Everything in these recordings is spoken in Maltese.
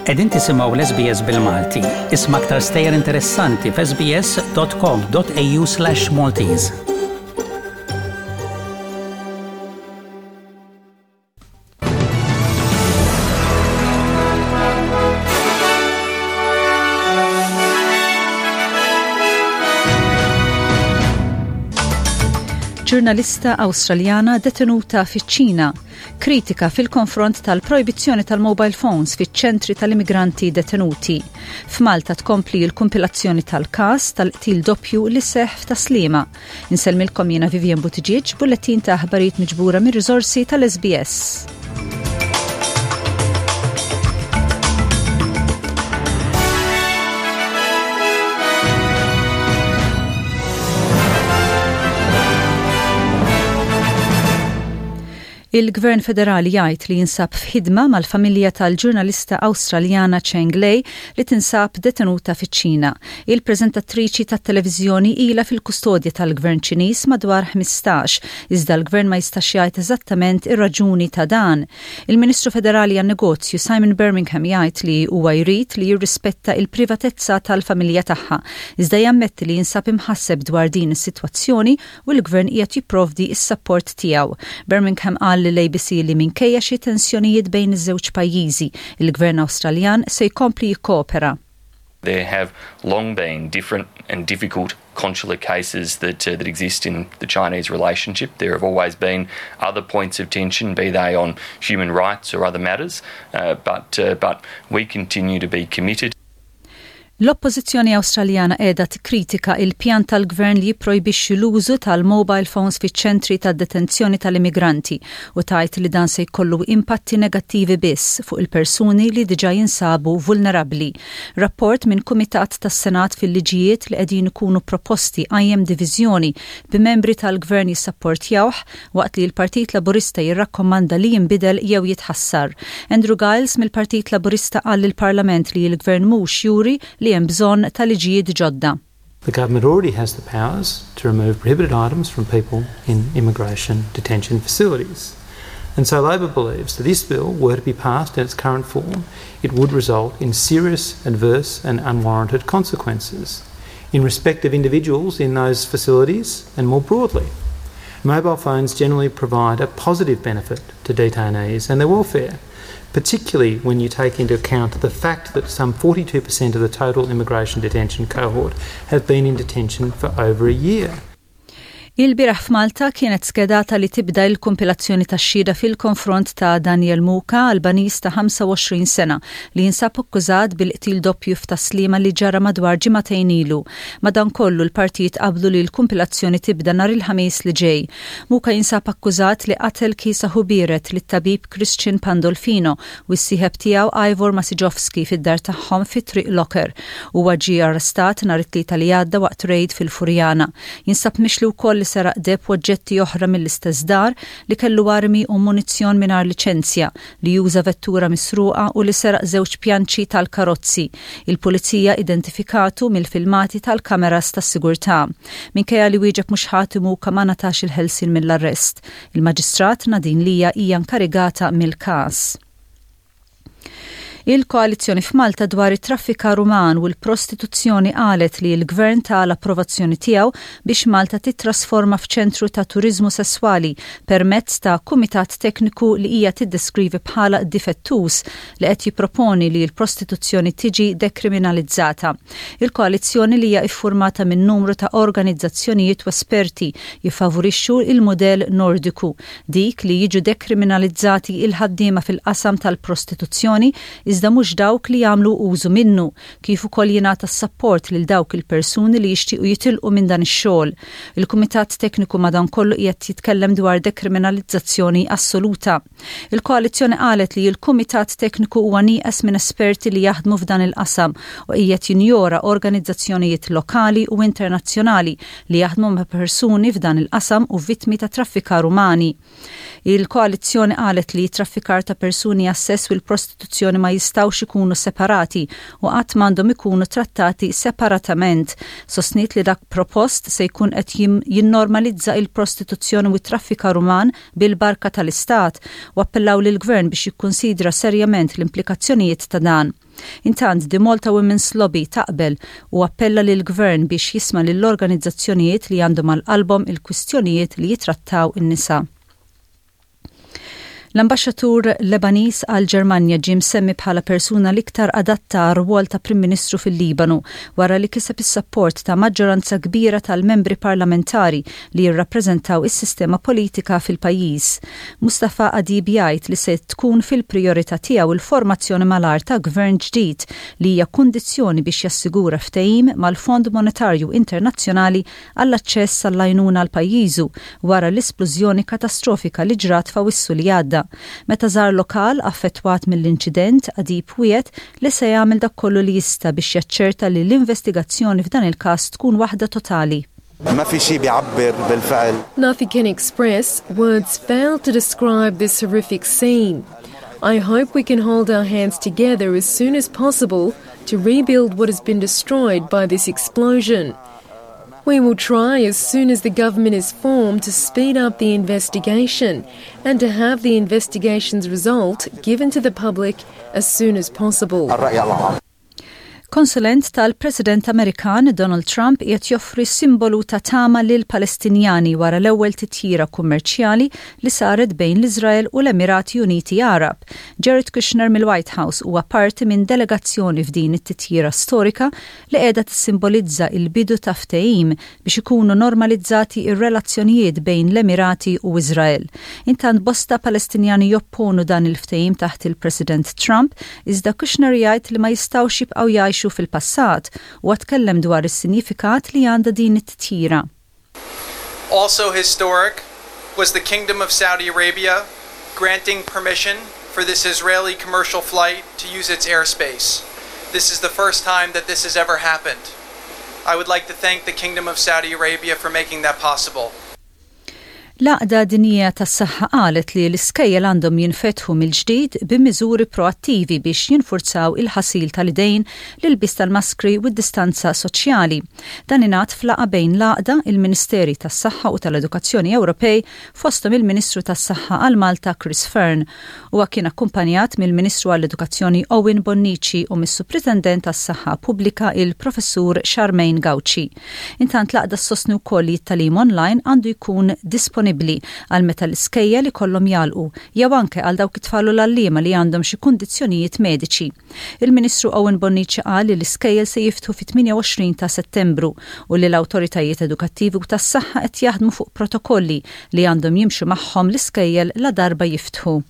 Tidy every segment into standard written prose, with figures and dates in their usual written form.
Qegħdin tisimgħu l-SBS bil-Malti. Isma' aktar stejjer interessanti f'sbs.com.au/Maltese. Ġurnalista Awstraljana detenuta fiċ-Ċina kritika fil-konfront tal-projbizzjoni tal-mobile phones fiċ-ċentri tal-immigranti detenuti. F'Malta tkompli l-kumpilazzjoni tal-każ tal-qtil doppju li seħħ f'Tas-Sliema. Insellmilkom jiena Vivian Buttigieg, bullettin ta' aħbarijiet miġbura mir-riżorsi tal-SBS. Il-Gvern Federali jgħid li jinsab f'ħidma mal-familja tal-ġurnalista Awstraljana Cheng Lei li tinsab detenuta fiċ-Ċina. Il-preżentattriċi tat-televiżjoni ilha fil-kustodja tal-Gvern Ċiniż madwar 15, iżda l-Gvern ma jistax jgħid eżattament ir-raġuni ta' dan. Il-Ministru Federali għan-Negozju Simon Birmingham jgħid li huwa jrid li jirrispetta il-privatezza tal-familja tagħha, iżda jammetti li jinsab imħasseb dwar din is-sitwazzjoni u l-Gvern qiegħed jipprovdi s-sapport tiegħu. Birmingham qal lill-ABC li minkejja xi tensjonijiet bejn iż-żewġ pajjiżi, il-Gvern Awstraljan se jkompli jikkoopera. There have long been different and difficult consular cases that, uh, that exist in the Chinese relationship. There have always been other points of tension, be they on human rights or other matters, uh, but, uh, but we continue to be committed. L-Oppożizzjoni Awstraljana qiegħda tikkritika il-pjan tal-Gvern li jipprojbixxi l-użu tal-mobile phones fiċ-ċentri ta' detenzjoni tal-immigranti u tgħid li dan se jkollu impatti negattivi biss fuq il-persuni li diġà jinsabu vulnerabbli. Rapport minn Kumitat tas-Senat fil-liġijiet li qegħdin ikunu proposti qajjem diviżjoni b'membri tal-Gvern jissapportjawh waqt li l-Partit Laburista jirrakkommanda li jinbidel jew jitħassar. Andrew Giles mill-Partit Laburista qal lill-Parlament li l-Gvern mhux juri li hemm bżonn ta' liġijiet ġodda. The government already has the powers to remove prohibited items from people in immigration detention facilities. And so Labor believes that this bill were to be passed in its current form, it would result in serious, adverse and unwarranted consequences in respect of individuals in those facilities and more broadly. Mobile phones generally provide a positive benefit to detainees and their welfare, particularly when you take into account the fact that some 42% of the total immigration detention cohort have been in detention for over a year. Ilbieraħ f'Malta kienet skedata li tibda l-kumpilazzjoni tax-xhieda fil-konfront ta' Daniel Muka, Albaniż ta' 25 sena, li jinsab akkużat bil-qtil doppju f'Tas-Sliema li ġara madwar ġimagħtejn ilu. Madankollu, l-partijiet qablu li l-kumpilazzjoni tibda nhar il-Ħamis li ġej. Muka jinsab akkużat li qatel kiesaħ u biered lit-tabib Christian Pandolfino u s-sieħeb tiegħu Ivor Masiġovski fid-dar tagħhom fi Triq Locker. Huwa ġie arrestat nhar it-Tlieta li għadda waqt rejd fil-Furjana. Jinsab mixli wkoll li seraq deheb u oġġetti oħra mill-istess dar, li kellu armi u munizzjon mingħajr liċenzja, li uża vettura misruqa u li seraq żewġ pjanċi tal-karozzi. Il-Pulizija identifikatu mill-filmati tal-kameras tas-sigurtà. Minkejja li wieġeb mhux ħati Muka ma ngħatax il-ħelsien mill-arrest. Il-Maġistrat Nadine Lia hija nkarigata mill-każ. Il-Koalizzjoni f'Malta dwar it-traffikar uman u l-prostituzzjoni qalet li l-Gvern ta l-approvazzjoni tiegħu biex Malta tittrasforma f'ċentru ta' turiżmu sesswali permezz ta' kumitat tekniku li hija tiddeskrivi bħala difettuż li qed jipproponi li l-prostituzzjoni tiġi dekriminalizzata. Il-koalizzjoni li hija iffurmata minn numru ta' organizzazzjonijiet u esperti jiffavurixxu il-mudell Nordiku, dik li jiġu dekriminalizzati il-ħaddiema fil-qasam tal-prostituzzjoni iżda mhux dawk li jagħmlu użu minnu, kif ukoll jingħata s-sapport lil dawk il-persuni li jixtiequ jitilqu minn dan ix-xogħol. Il-Kumitat Tekniku madankollu qiegħed jitkellem dwar dekriminalizzazzjoni assoluta. Il-koalizzjoni qalet li l-Kumitat Tekniku huwa nieqes minn esperti li jaħdmu f'dan il-qasam u qiegħed jinjora organizzazzjonijiet lokali u internazzjonali li jaħdmu ma' persuni f'dan il-qasam u vittmi ta' traffikar umani. Il-koalizzjoni qalet li t-traffikar ta' persuni għas-sess u l-prostituzzjoni ma jistgħux ikunu separati u qatt m'għandhom ikunu trattati separatament. Sostniet li dak propost se jkun qed jinnormalizza il-prostituzzjoni u t-traffikar uman bil-barka tal-Istat u appellaw lill-Gvern biex jikkunsidra serjament l-implikazzjonijiet ta' dan. Intant, The Malta Women's Lobby taqbel u appella lill-Gvern biex jisma' lill-organizzazzjonijiet li għandhom għal qalbhom il-kwistjonijiet li jitrattaw in-nisa. L-Ambaxxatur Lebaniż għall-Ġermanja ġie msemmi bħala persuna l-iktar adatta għar-rwol ta' Prim Ministru fil-Libanu wara li kiseb is-sapport ta' maġġoranza kbira tal-membri parlamentari li jirrappreżentaw is-sistema politika fil-pajjiż. Mustafa Adib jgħid li se tkun fil-prijorità tiegħu l-formazzjoni malajr ta' gvern ġdid li hija kundizzjoni biex jassigura ftehim mal-Fond Monetarju Internazzjonali għall-aċċess għall-għajnuna għal pajjiżu wara l-isplużjoni katastrofika li ġrat f'Awissu li għadda. Meta żar lokal affettwat mill-inċident, Adib wiegħed li se jagħmel dak kollu li jista' biex jaċċerta li l-investigazzjoni f'dan il-każ tkun waħda totali. Nothing can express, words fail to describe this horrific scene. I hope we can hold our hands together as soon as possible to rebuild what has been destroyed by this explosion. We will try as soon as the government is formed to speed up the investigation and to have the investigation's result given to the public as soon as possible. Konsulent tal-President Amerikan Donald Trump qiegħed joffri simbolu ta' tama lil Palestinjani wara l-ewwel titjira kummerċjali li saret bejn l-Iżrael u l-Emirati Uniti Għarab. Jared Kushner mill-White House huwa parti minn delegazzjoni f'din it-titjira storika li qiegħda tissimbolizza l-bidu ta' ftehim biex ikunu normalizzati r-relazzjonijiet bejn l-Emirati u Iżrael. Intant bosta Palestinjani jopponu dan il-ftehim taħt il-President Trump iżda Kushner jgħid li ma jistgħux jibqgħu jgħixu fil-passat. Huwa tkellem dwar is-sinjifikat li għandha din it-titjira. Also historic was the Kingdom of Saudi Arabia granting permission for this Israeli commercial flight to use its airspace. This is the first time that this has ever happened. I would like to thank the Kingdom of Saudi Arabia for making that possible. L-Għaqda Dinjija tas-Saħħa qalet li l-iskejjel għandhom jinfetħu mill-ġdid b'miżuri proattivi biex jinfurzaw il-ħasil tal-idejn, l-ilbies tal-maskri u d-distanza soċjali. Dan ingħad f'laqgħa bejn l-Għaqda, il-Ministeri tas-Saħħa u tal-Edukazzjoni Ewropej, fosthom il-Ministru tas-Saħħa għal Malta Chris Fearne. Huwa kien akkumpanjat mill-Ministru għall-Edukazzjoni Owen Bonnici u mis-Supritendent għas-Saħħa Pubblika il-Professur Charmaine Gauci. Intant l-Għaqda ssostni wkoll li t-tagħlim online għandu jkun disponibbli għal meta l-iskejjel ikollhom jagħlqu jew anke għal dawk it-tfal u l-għalliema li għandhom xi kundizzjonijiet mediċi. Il-Ministru Owen Bonnici qal li l-iskejjel se jiftħu fit-28 ta' Settembru u li l-awtoritajiet edukattivi u tas-saħħa qed jaħdmu fuq protokolli li għandhom jimxu magħhom l-iskejjel ladarba jiftħu.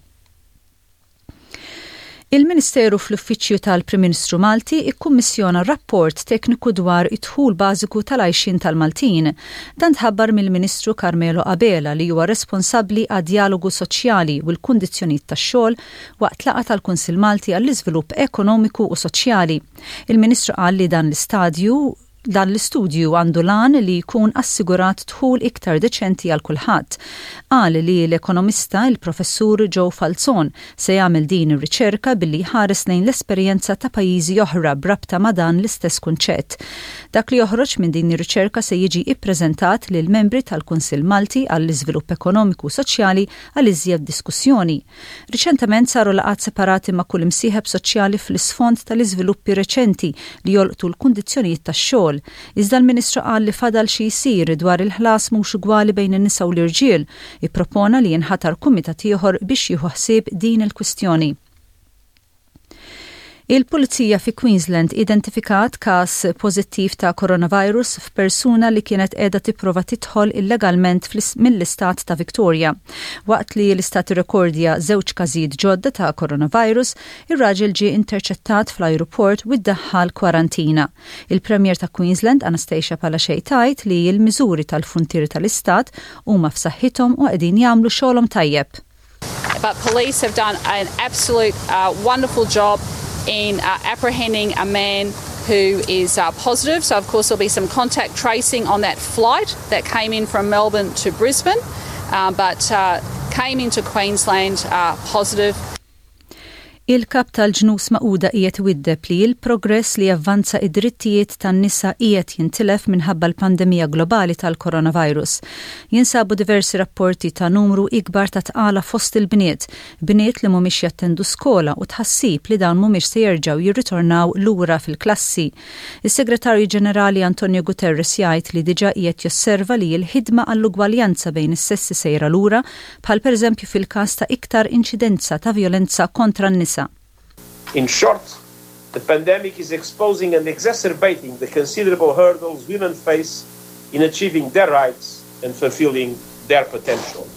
Il-Ministeru fl-Uffiċċju tal-Prim Ministru Malti ikkummissjona rapport tekniku dwar id-dħul bażiku tal-għajxien tal-Maltin. Dan tħabbar mill-Ministru Carmelo Abela li huwa responsabbli għad-djalogu soċjali u l-kundizzjonijiet tax-xogħol waqt laqgħa tal-Kunsill Malti għall-Iżvilupp Ekonomiku u Soċjali. Il-Ministru qal li dan l-istadju dan l-istudju għandu l-għan li jkun assigurat dħul iktar deċenti għal kulħadd. Qal li l-ekonomista, il-Professur Joe Falzon, se jagħmel din ir-riċerka billi jħares lejn l-esperjenza ta' pajjiżi oħra b'rabta ma' dan l-istess kunċett. Dak li joħroġ minn din ir-riċerka se jiġi ippreżentat lill-membri tal-Kunsill Malti għall-Iżvilupp Ekonomiku u Soċjali għal iżjed diskussjoni. Riċentement saru laqgħat separati ma' kull imsieħeb soċjali fl-isfond tal-iżviluppi reċenti li jolqtu l-kundizzjonijiet tax-xogħol. Iżda l-Ministru qal li fadal xi jsir dwar il-ħlas mhux ugwali bejn in-nisa u l-irġiel. Ippropona li jinħatar kumitat ieħor biex jieħu ħsieb din il-kwistjoni. Il-Pulizija fi Queensland identifikat każ pożittiv ta' coronavirus f'persuna li kienet qiegħda tipprova tidħol illegalment mill-istat ta' Victoria. Waqt li l-istat irrekordja żewġ każijiet ġodda ta' coronavirus, ir-raġel ġie interċettat fl-ajruport u ddaħħal kwarantina. Il-Premier ta' Queensland Anastasia Palaszczuk tgħid li l-miżuri tal-fruntieri tal-istat huma f'saħħithom u qegħdin jagħmlu xogħolhom tajjeb. But police have done an absolute wonderful job in apprehending a man who is positive. So, of course, there'll be some contact tracing on that flight that came in from Melbourne to Brisbane, but came into Queensland positive. Il-Kap tal-Ġnus Magħquda qiegħed iwiddeb li l-progress li javvanza id-drittijiet tan-nisa qiegħed jintilef minħabba l-pandemija globali tal-coronavirus. Jinsabu diversi rapporti ta' numru ikbar ta' tqala fost il-bniet, bniet li mhumiex jattendu skola u tħassib li dawn mhumiex se jerġgħu jirritornaw lura fil-klassi. Is-Segretarju Ġenerali Antonio Guterres jgħid li diġà qiegħed josserva li l-ħidma għall-ugwaljanza bejn is-sessi sejra lura, bħal pereżempju fil-każ ta' iktar inċidenza ta' vjolenza kontra n-nisa. In short, the pandemic is exposing and exacerbating the considerable hurdles women face in achieving their rights and fulfilling their potential.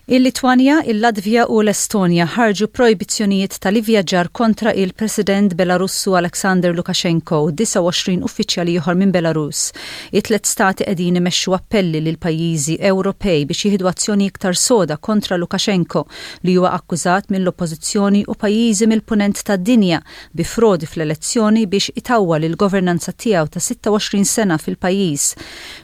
Il-Litwanja, il-Latvja u l-Estonja ħarġu projbizzjonijiet tal-ivvjaġġar kontra il-President Belarussu Alexander Lukashenko u 29 uffiċjal ieħor minn Belarus. It-tlet stati qegħdin imexxu appelli lil pajjiżi Ewropej biex jieħdu azzjoni iktar soda kontra Lukashenko li huwa akkużat mill-oppożizzjoni u pajjiżi mill-punent tad-dinja bi frodi fl-elezzjoni biex itawwal il-governanza tiegħu ta' 26 sena fil-pajjiż.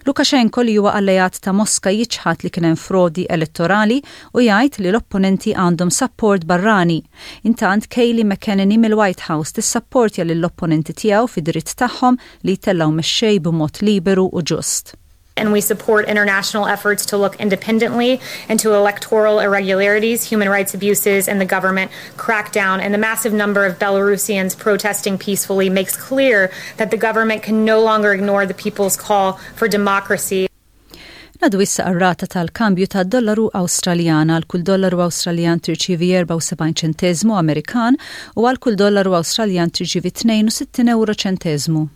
Lukashenko li huwa alleat ta' Moska jiċħad li kien hemm frodi elettorali u jgħid li l-opponenti għandhom sapport barrani. Intant Kayleigh McEnany mill-White House tissapportja lill-opponenti tiegħu fid-dritt tagħhom li jtellgħu mexxej b'mod liberu u ġust. And we support international efforts to look independently into electoral irregularities, human rights abuses, and the government crackdown. And the massive number of Belarusians protesting peacefully makes clear that the government can no longer ignore the people's call for democracy. Ngħaddu issa għar-rata tal-kambju tad-dollaru Awstraljan. Għal kull dollaru Awstraljan tirċievi 74 ċenteżmu Amerikan u għal kull dollaru Awstraljan tirċievi 62 ewro ċenteżmu.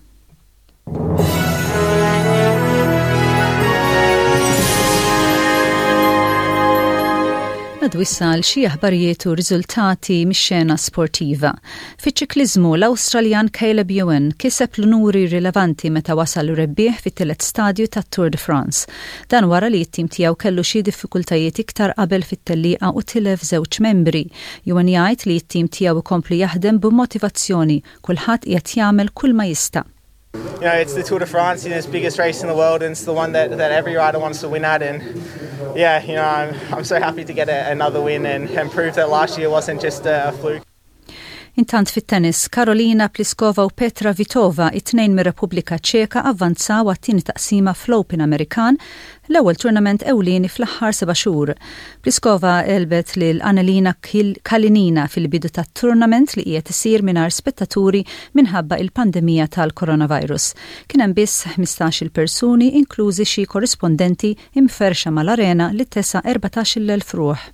Ngħaddu issa għal xi aħbarijiet u riżultati mix-xena sportiva. Fiċ-ċikliżmu, l-Awstraljan Caleb Ewan kiseb l-unuri rilevanti meta wasal rebbieħ fit-tielet stadju tat-Tour de France. Dan wara li t-tim tiegħu kellu xi diffikultajiet iktar qabel fit-tellieqa u tilef żewġ membri. Ewan jgħid li t-tim tiegħu ikompli jaħdem b'motivazzjoni, kulħadd qiegħed jagħmel kull ma jista'. You know, it's the Tour de France, you know, it's the biggest race in the world and it's the one that, that every rider wants to win at and yeah, you know, I'm, I'm so happy to get a, another win and, and prove that last year wasn't just a, a fluke. Intant fit-tennis, Karolina Pliskova u Petra Vitova, it-tnejn mir-Repubblika Ċeka avvanzaw għat-tieni taqsima fl-Open Amerikan, l-ewwel tournament ewlieni fl-aħħar seba' xhur. Pliskova għelbet lil Anhelina Kalinina fil-bidu tat-tournament li qiegħed isir mingħajr spettaturi minħabba il-pandemija tal-coronavirus. Kien hemm biss 15-il persuni inklużi xi korrispondenti imferrxa mal-arena li tesa' 14,000 ruħ.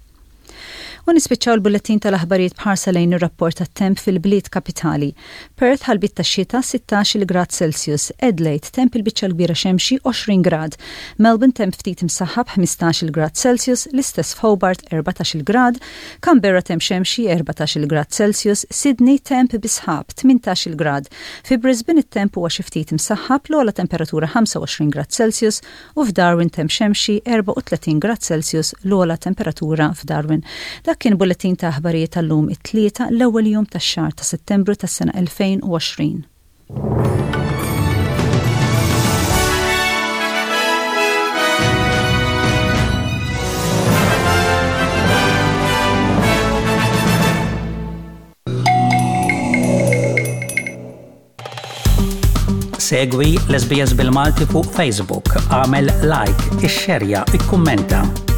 U nispiċċaw il-bullettin tal-aħbarijiet b'ħarsa lejn ir-rapport tat-temp fil-bliet kapitali. Perth ħalbiet tax-xita 16-il grad Celsius, Adelaide temp il-biċċa l-kbira xemxi 20 grad, Melbourne temp ftit imsaħħab 15-il grad Celsius, l-istess f'Hobart 14-il grad, Canberra temp xemxi 14-il grad Celsius, Sydney temp bi sħab 18-il grad. Fi Brisbane it-temp huwa xi ftit imsaħħab l-ogħla temperatura 25 grad Celsius u f'Darwin temp xemxi 34 grad Celsius l-ogħla temperatura f'Darwin. Dak kien bullettin ta' aħbarijiet tal-lum it-Tlieta l-ewwel jum tax-xahar ta' Settembru tas-sena 2020. Segwi l-SBS bil-Malti fuq Facebook, għamel like, ixxerja, ikkummenta.